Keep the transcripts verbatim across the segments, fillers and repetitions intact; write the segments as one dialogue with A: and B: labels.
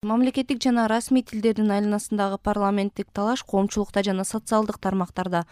A: Мамлекеттик жана расмий тилдердин айланасындагы парламенттик талаш коомчулукта жана социалдык тармактарда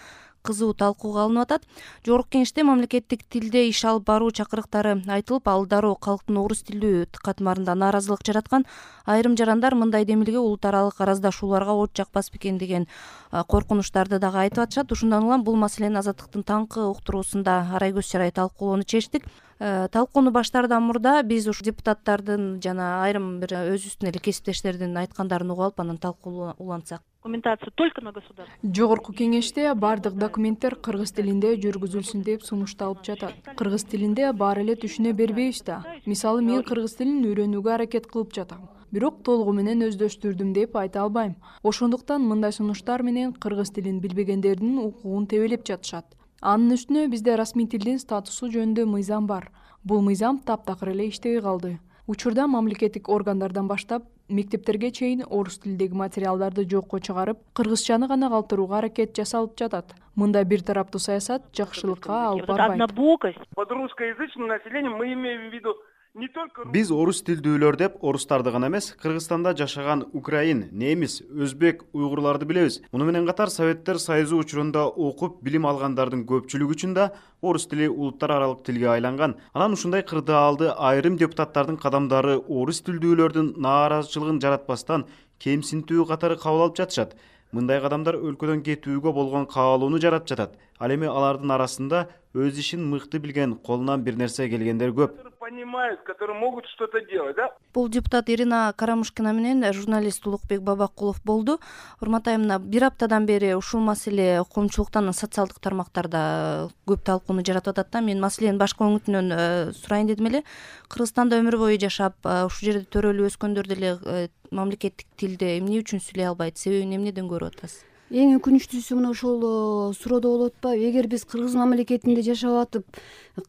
A: кызуу талкууга алынып атат. Жогорку кеңеште мамлекеттик тилде иш алып баруу чакырыктары айтылып, ал дароо калктын орус тилдүү катмарында нааразылык жараткан. Айрым жарандар мындай демилге улут аралык араздашууларга от жакпас бекен деген коркунучтарды дагы айтып атышат. Ушундан улам бул маселени Азаттыктын таңкы уктуруусунда Арайгөз Чарай талкуулоону чечтик. Талкууну баштаардан мурда биз ушу депутаттардын жана айрым бир өзүбүздүн эле кесиптештердин айткандарын угуп алып, анан талкуу улантсак.
B: Документация только на государство.
C: Жогорку кеңеште бардык документтер кыргыз тилинде жүргүзүлсүн деп сунушталып жатат. Кыргыз тилинде баары эле түшүнө бербейбиз да. Мисалы мен кыргыз тилин үйрөнүүгө аракет кылып жатам. Бирок толугу менен өздөштүрдүм деп айта албайм. Ошондуктан мындай сунуштар менен кыргыз тилин билбегендердин укугун тебелеп жатышат. Анын үстүнө бизде расмий тилдин статусу жөнүндө мыйзам бар. Бул мыйзам таптакыр эле иштебей калды. Учурда мамлекеттик органдардан баштап мектептерге чейин орус тилдеги материалдарды жокко чыгарып, кыргызчаны гана калтырууга аракет жасалып жатат. Мындай бир тараптуу саясат жакшылыкка алып барбайт.
B: Однобокость.
D: Под русскоязычным населением мы имеем в виду не только...
E: Биз орус тилдүүлөр деп орустарды гана эмес, Кыргызстанда жашаган украин, немис, өзбек, уйгурларды билебиз. Муну менен катар Советтер Союзу учурунда окуп билим алгандардын көпчүлүгү үчүн да орус тили улуттар аралык тилге айланган. Анан ушундай кырдаалды айрым депутаттардын кадамдары орус тилдүүлөрдүн нааразычылыгын жаратпастан кемсинтүү катары кабыл алып жатышат. Мындай кадамдар өлкөдөн кетүүгө болгон каалоону жаратып жатат. Ал эми алардын арасында өз ишин мыкты билген, колунан бир нерсе келгендер көп.
D: Понимают, которые могут что-то делать, да?
A: Бул депутат Ирина Карамушкина менен журналист Улукбек Бабакулов болду. Урмат айымына, бир аптадан бери ушул маселе коомчулуктан социалдык тармактарда көп талкууну жаратып атат да. Мен маселенин башка өңүтүнөн сурайын дедим эле. Кыргызстанда өмүр бою жашап, ушул жерде төрөлүп өскөндөр деле мамлекеттик тилде эмне үчүн сүйлөй албайт? Себебин эмнеден көрүп атасыз?
F: Эң өкүнүчтүүсү мына ошол суроо болуп атпайбы? Эгер биз кыргыз мамлекетинде жашап атып,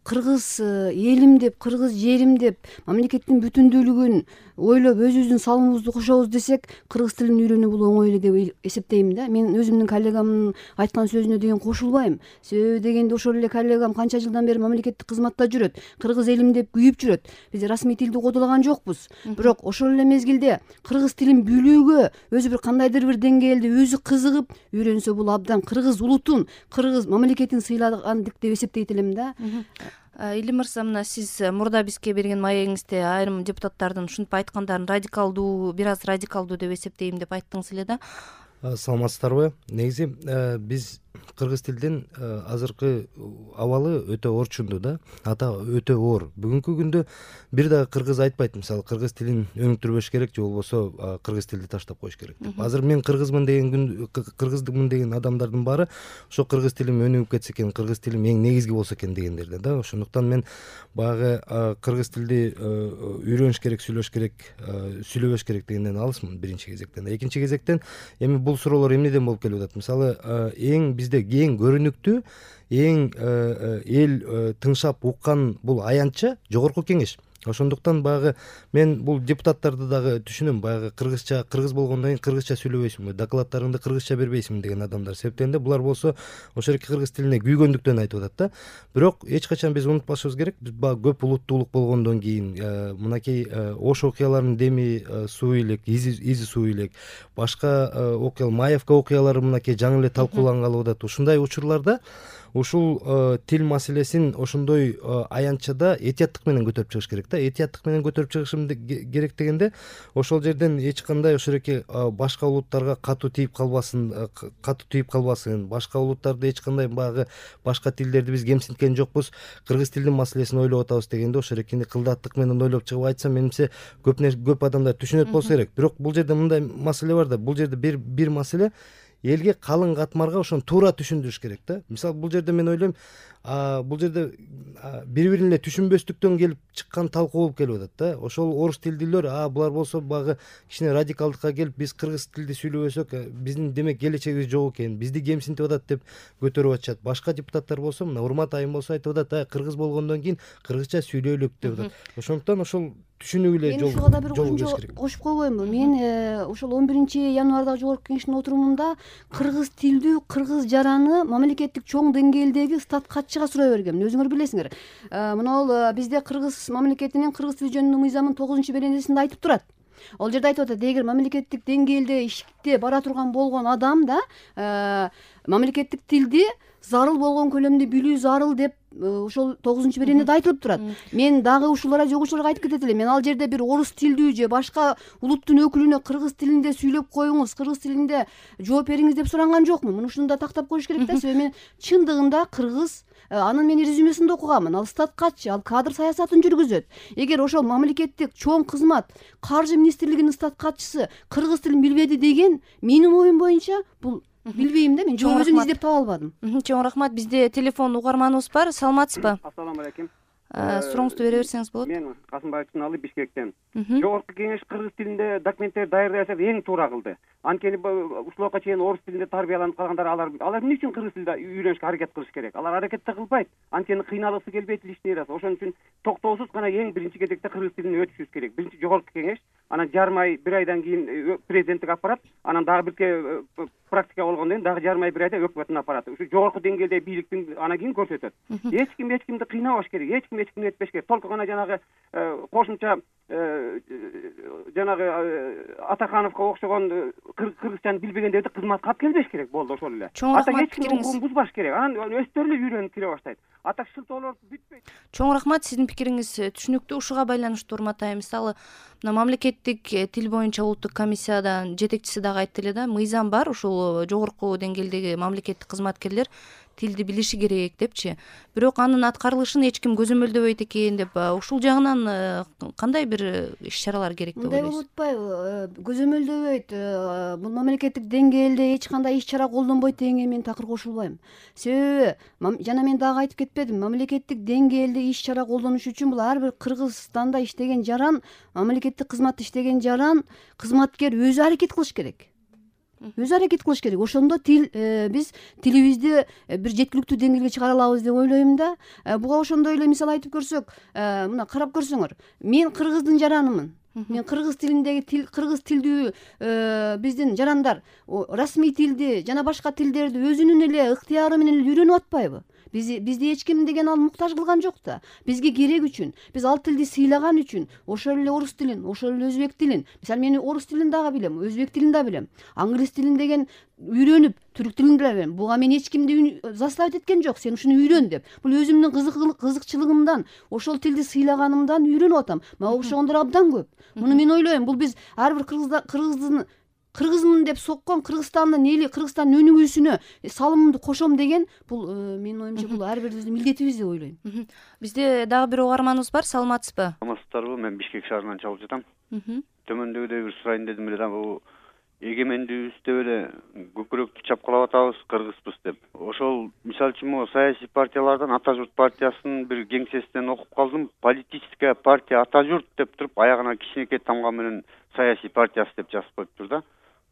F: кыргыз элим деп, кыргыз жерим деп, мамлекеттин бүтүндүүлүгүн ойлоп өзүбүздүн салымыбызды кошобуз десек, кыргыз тилин үйрөнүү бул оңой эле деп эсептейм да. Мен өзүмдүн коллегамдын айткан сөзүнө деген кошулбайм. Себеби дегенде ошол эле коллегам канча жылдан бери мамлекеттик кызматта жүрөт, кыргыз элим деп күйүп жүрөт. Биз расмий тилди кодолаган жокпуз. Бирок ошол эле мезгилде кыргыз тилин билүүгө өзү бир кандайдыр бир деңгээлде өзү кызыгып үйрөнсө, бул абдан кыргыз улутун, кыргыз мамлекетин сыйлагандык деп эсептейт элем да.
A: Илим мырза, мына сиз мурда бизге берген маегиңизде айрым депутаттардын ушинтип айткандарын радикалдуу, бир аз радикалдуу деп эсептейм деп айттыңыз эле да.
G: Саламатсыздарбы? Негизи биз кыргыз тилдин азыркы абалы өтө орчундуу да, ата өтө оор. Бүгүнкү күндө бир дагы кыргыз айтпайт, мисалы кыргыз тилин өнүктүрбөш керек же болбосо кыргыз тилди таштап коюш керек деп. Азыр мен кыргызмын деген күн кыргыздыкмын деген адамдардын баары ошо кыргыз тилим өнүгүп кетсе экен, кыргыз тилим эң негизги болсо экен дегендерден да. Ошондуктан мен баягы кыргыз тилди үйрөнүш керек, сүйлөш керек, сүйлөбөш керек дегенден алысмын биринчи кезектен. Экинчи кезектен эми бул суроолор эмнеден болуп келип атат? Мисалы эң бизде эң көрүнүктүү, эң эл тыңшап уккан бул аянтча жогорку кеңеш. Ошондуктан баягы мен бул депутаттарды дагы түшүнөм. Баягы кыргызча, кыргыз болгондон кийин кыргызча сүйлөбөйсүңбү, докладтарыңды кыргызча бербейсиңби деген адамдар. Себептен булар болсо ошол эки кыргыз тилине күйгөндүктөн айтып атат да. Бирок эч качан биз унутпашыбыз керек, биз баягы көп улуттуулук болгондон кийин мынакей Ош окуяларынын деми суу илек, изи суу илек, башка окуя, Маевка окуялары мынакей жаңы эле талкуулангалы атат. Ушундай учурларда ушул тил маселесин ошондой аянтчада этияттык менен көтөрүп чыгыш керек да. Этияттык менен көтөрүп чыгышым керек дегенде ошол жерден эч кандай ошол эки башка улуттарга катуу тийип калбасын, катуу тийип калбасын, башка улуттарды эч кандай баягы башка тилдерди биз кемсинткен жокпуз, кыргыз тилдин маселесин ойлоп атабыз дегенде ошол экини кылдаттык менен ойлоп чыгып айтсам, менимче көп көп адамдар түшүнөт болсо керек. Бирок бул жерде мындай маселе бар да, бул жерде бир бир маселе элге калың катмарга ошону туура түшүндүрүш керек да. Мисалы бул жерде мен ойлойм, бул жерде бири-бирин эле түшүнбөстүктөн келип чыккан талкуу болуп келип атат да. Ошол орус тилдүүлөр, а булар болсо багы кичине радикалдыкка келип, биз кыргыз тилди сүйлөбөсөк, биздин демек келечегибиз жок экен, бизди кемсинтип атат деп көтөрүп атышат. Башка депутаттар болсо, мына Урмат айым болсо айтып атат, кыргыз болгондон кийин кыргызча сүйлөйлүк деп атат. Ошондуктан ошол түшүнүүгө эле жол
F: ушуга да бир кошумча кошуп койбоймунбу? Мен ошол он биринчи январдагы жогорку кеңештин отурумунда кыргыз тилдүү, кыргыз жараны мамлекеттик чоң деңгээлдеги стат катчыга сурай бергем. Өзүңөр билесиңер. Мына ал бизде кыргыз мамлекетинин кыргыз тили жөнүндө мыйзамынын тогузунчу беренесинде айтып турат. Ал жерде айтып атат, эгер мамлекеттик деңгээлде иште бара турган болгон адам да мамлекеттик тилди зарыл болгон көлөмдө билүү зарыл деп ошол тогузунчу беренеде айтылып турат. Мен дагы ушуларга жогуучуларга айтып кетет элем. Мен ал жерде бир орус тилдүү же башка улуттун өкүлүнө кыргыз тилинде сүйлөп коюңуз, кыргыз тилинде жооп бериңиз деп суранган жокмун. Муну ушуну да тактап коюш керек да. Себеби мен чындыгында кыргыз, анын мен резюмесинде окуганмын. Ал статкачы, ал кадр саясатын жүргүзөт. Эгер ошол мамлекеттик чоң кызмат, каржы министрлигинин статкачысы кыргыз тилин билбеди деген менин оюм боюнча бул билбейм да, мен жооп өзүн издеп таба албадым.
A: Чоң рахмат. Бизде телефон угарманыбыз бар. Саламатсызбы?
D: Ассаламу алейкум.
A: Сурооңузду бере берсеңиз болот.
D: Мен Касымбаев Чыналы, Бишкектен. Жогорку кеңеш кыргыз тилинде документтер даярдаса эң туура кылды. Анткени ушуларга чейин орус тилинде тарбияланып калгандар, алар алар эмне үчүн кыргыз тилде үйрөнүшкө аракет кылыш керек? Алар аракет да кылбайт. Анткени кыйналгысы келбейт ишти ырасы. Ошон үчүн токтоосуз гана эң биринчи кезекте кыргыз тилине өтүшүбүз керек. Биринчи жогорку кеңеш, анан жарым ай, бир айдан кийин президенттик аппарат, анан дагы бирке практика болгондон кийин дагы жарым ай, бир айда өкмөттүн аппараты. Ушу жогорку деңгээлде бийликтин анан кийин көрсөтөт. Эч ким эч кимди кыйнабаш керек, эч ким эч кимди этпеш керек. Толку гана жанагы кошумча жанагы Атахановго окшогон кыргызчаны билбегендерди кызматка алып келбеш керек. Болду, ошол эле.
A: Ата
D: эч ким укугун бузбаш керек. Анан өздөрү эле үйрөнүп кире баштайт. Ата шылтоолор бүтпөйт.
A: Чоң рахмат, сиздин пикириңиз түшүнүктүү. Ушуга байланыштуу Урматай, мисалы мына мамлекеттик тил боюнча улуттук комиссиядан жетекчиси дагы айтты эле да, мыйзам бар, ушул жогорку деңгээлдеги мамлекеттик кызматкерлер тилди билиши керек депчи. Бирок анын аткарылышын эч ким көзөмөлдөбөйт экен деп, ушул жагынан кандай бир иш-чаралар керек деп ойлойсуз?
F: Мындай болуп атпайбы? Көзөмөлдөбөйт. Бул мамлекеттик деңгээлде эч кандай иш-чара колдонбойт дегенге мен такыр кошулбайм. Себеби жана мен дагы айтып кетпедим, мамлекеттик деңгээлде иш-чара колдонуш үчүн бул ар бир Кыргызстанда иштеген жаран, мамлекеттик кызматта иштеген жаран, кызматкер өзү аракет кылыш керек. Өзү аракет кылыш керек. Ошондо тил биз тилибизди бир жеткиликтүү деңгээлге чыгара алабыз деп ойлойм да. Буга ошондой эле мисал айтып көрсөк, мына карап көрсөңөр, мен кыргыздын жаранымын. Мен кыргыз тилиндеги тил, кыргыз тилдүү биздин жарандар расмий тилди жана башка тилдерди өзүнүн эле ыктыяры менен үйрөнүп атпайбы? Бизди бизди эч ким деген ал муктаж кылган жок да. Бизге керек үчүн, биз ал тилди сыйлаган үчүн ошол эле орус тилин, ошол эле өзбек тилин, мисалы мен орус тилин дагы билем, өзбек тилин да билем, англис тилин деген үйрөнүп, түрк тилин да билем. Буга мен эч кимди заставить эткен жок, сен ушуну үйрөн деп. Бул өзүмдүн кызыкчылыгымдан, ошол тилди сыйлаганымдан үйрөнүп атам. Мага окшогондор абдан көп. Муну мен ойлойм, бул биз ар бир кыргыздын кыргызмын деп соккон Кыргызстандын эли, Кыргызстандын өнүгүүсүнө салымымды кошом деген бул менин оюмча бул ар бирибиздин милдетибиз деп ойлойм.
A: Бизде дагы бир угарманыбыз бар. Саламатсызбы?
H: Саламатсыздарбы? Мен Бишкек шаарынан чалып жатам. Төмөндөгүдөй бир сурайын дедим эле да, бул эгемендүүбүздө эле көкүрөктү чапкылап атабыз, кыргызбыз деп. Ошол мисалы үчүн могу саясий партиялардан Ата журт партиясынын бир кеңсесинен окуп калдым. Политическая партия Ата журт деп туруп, аягына кичинекей тамга менен саясий партиясы деп жазып коюптур да.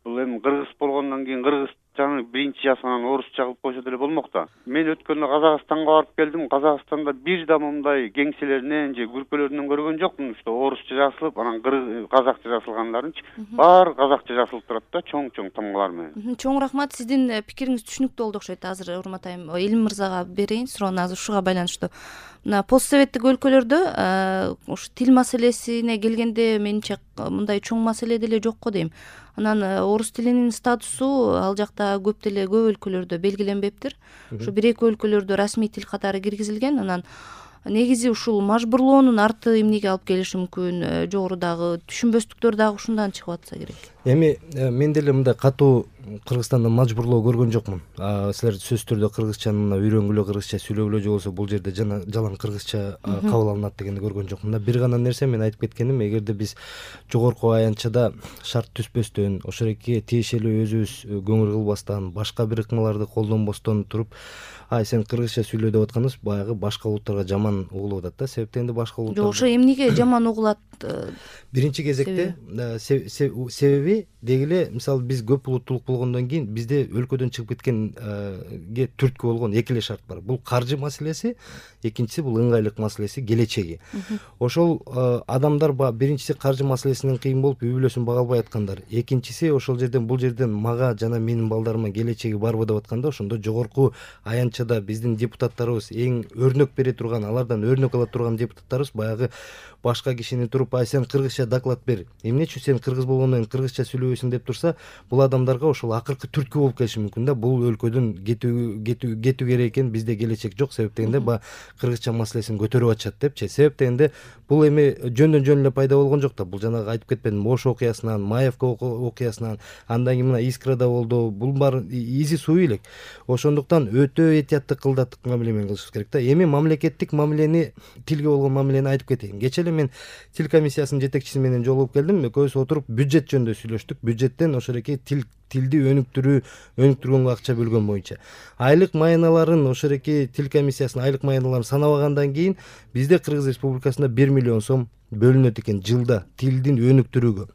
H: Бул эми кыргыз болгондон кийин кыргызчаны биринчи жазганан орусча кылып койсо деле болмок да. Мен өткөндө Казакстанга барып келдим. Казакстанда бир да мындай кеңселеринен же күркөлөрүнөн көргөн жокмун. Что орусча жазылып, анан казакча жазылгандарынчы баары казакча жазылып турат да, чоң-чоң тамгалар менен.
A: Чоң рахмат. Сиздин пикириңиз түшүнүктүү болду окшойт. Азыр Урматайым Элим мырзага берейин суроону, азыр ушуга байланыштуу. Мына постсоветтик өлкөлөрдө ушу тил маселесине келгенде менимче мындай чоң маселе деле жокко дейм. Анан орус тилинин статусу ал жакта көп деле көп өлкөлөрдө белгиленбептир. Ушу бир эки өлкөлөрдө расмий тил катары киргизилген. Анан негизи ушул мажбурлоонун арты эмнеге алып келиши мүмкүн? Жогорудагы түшүнбөстүктөр дагы ушундан чыгып атса керек.
G: Эми мен деле мындай катуу Кыргызстанда мажбурлоо көргөн жокмун. Силер сөзсүз түрдө кыргызчаны үйрөнгүлө, кыргызча сүйлөгүлө же болбосо бул жерде жалаң кыргызча кабыл алынат дегенди көргөн жокмун да. Бир гана нерсе мен айтып кеткеним, эгерде биз жогорку аянтчада шарт түзбөстөн, ошолекке тиешелүү өзүбүз көңүл кылбастан, башка бир ыкмаларды колдонбостон туруп, ай сен кыргызча сүйлө деп атканыбыз баягы башка улуттарга жаман угулуп атат да. Себептен башка улуттар.
A: Жок, ошо эмнеге жаман угулат?
G: Биринчи кезекте себеби деги эле, мисалы биз көп улуттуулук болгондон кийин бизде өлкөдөн чыгып кеткенге түрткү болгон эки эле шарт бар. Бул каржы маселеси, экинчиси бул ыңгайлык маселеси, келечеги. Ошол адамдар биринчиси каржы маселесинен кыйын болуп үй бүлөсүн бага албай аткандар, экинчиси ошол жерден бул жерден мага жана менин балдарыма келечеги барбы деп атканда, ошондо жогорку аянтчада биздин депутаттарыбыз эң өрнөк бере турган, алардан өрнөк ала турган депутаттарыбыз баягы башка кишини туруп ай сен кыргызча доклад бер, эмне үчүн сен кыргыз болгондон кийин кыргызча сүйлөбөйсүң деп турса, бул адамдарга ошол акыркы түрткү болуп келиши мүмкүн да. Бул өлкөдөн кетүү кетүү кетүү керек экен, бизде келечек жок, себеп дегенде баягы кыргызча маселесин көтөрүп атышат депчи. Себеп дегенде бул эми жөндөн жөн эле пайда болгон жок да. Бул жанагы айтып кетпедимби, Ош окуясынан, Маевка окуясынан, андан кийин мына Искрада болду. Бул баары изи суу элек. Ошондуктан өтө этияттык кылдаттык мамиле менен кылышыбыз керек да. Эми мамлекеттик мамилени, тилге болгон мамилени айтып кетейин. Кечээ эле мен тил комиссиясынын жетекчиси менен жолугуп келдим. Экөөбүз отуруп бюджет жөнүндө сүйлөштүк. Бюджеттен ошол эки тил тилди өнүктүрүү өнүктүргөнгө акча бөлгөн боюнча айлык маяналарын, ошол эки тил комиссиясынын айлык маяналарын санабагандан кийин бизде Кыргыз Республикасында бир миллион сом бөлүнөт экен жылда тилдин өнүктүрүүгө.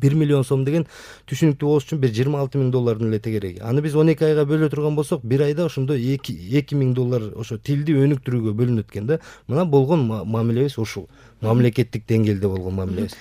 G: бир миллион сом деген түшүнүктүү болуш үчүн бир жыйырма алты миң доллардын эле тегереги. Аны биз он эки айга бөлө турган болсок, бир айда ошондо эки миң доллар ошо тилди өнүктүрүүгө бөлүнөт экен да. Мына болгон мамилебиз ушул. Мамлекеттик деңгээлде болгон мамилебиз.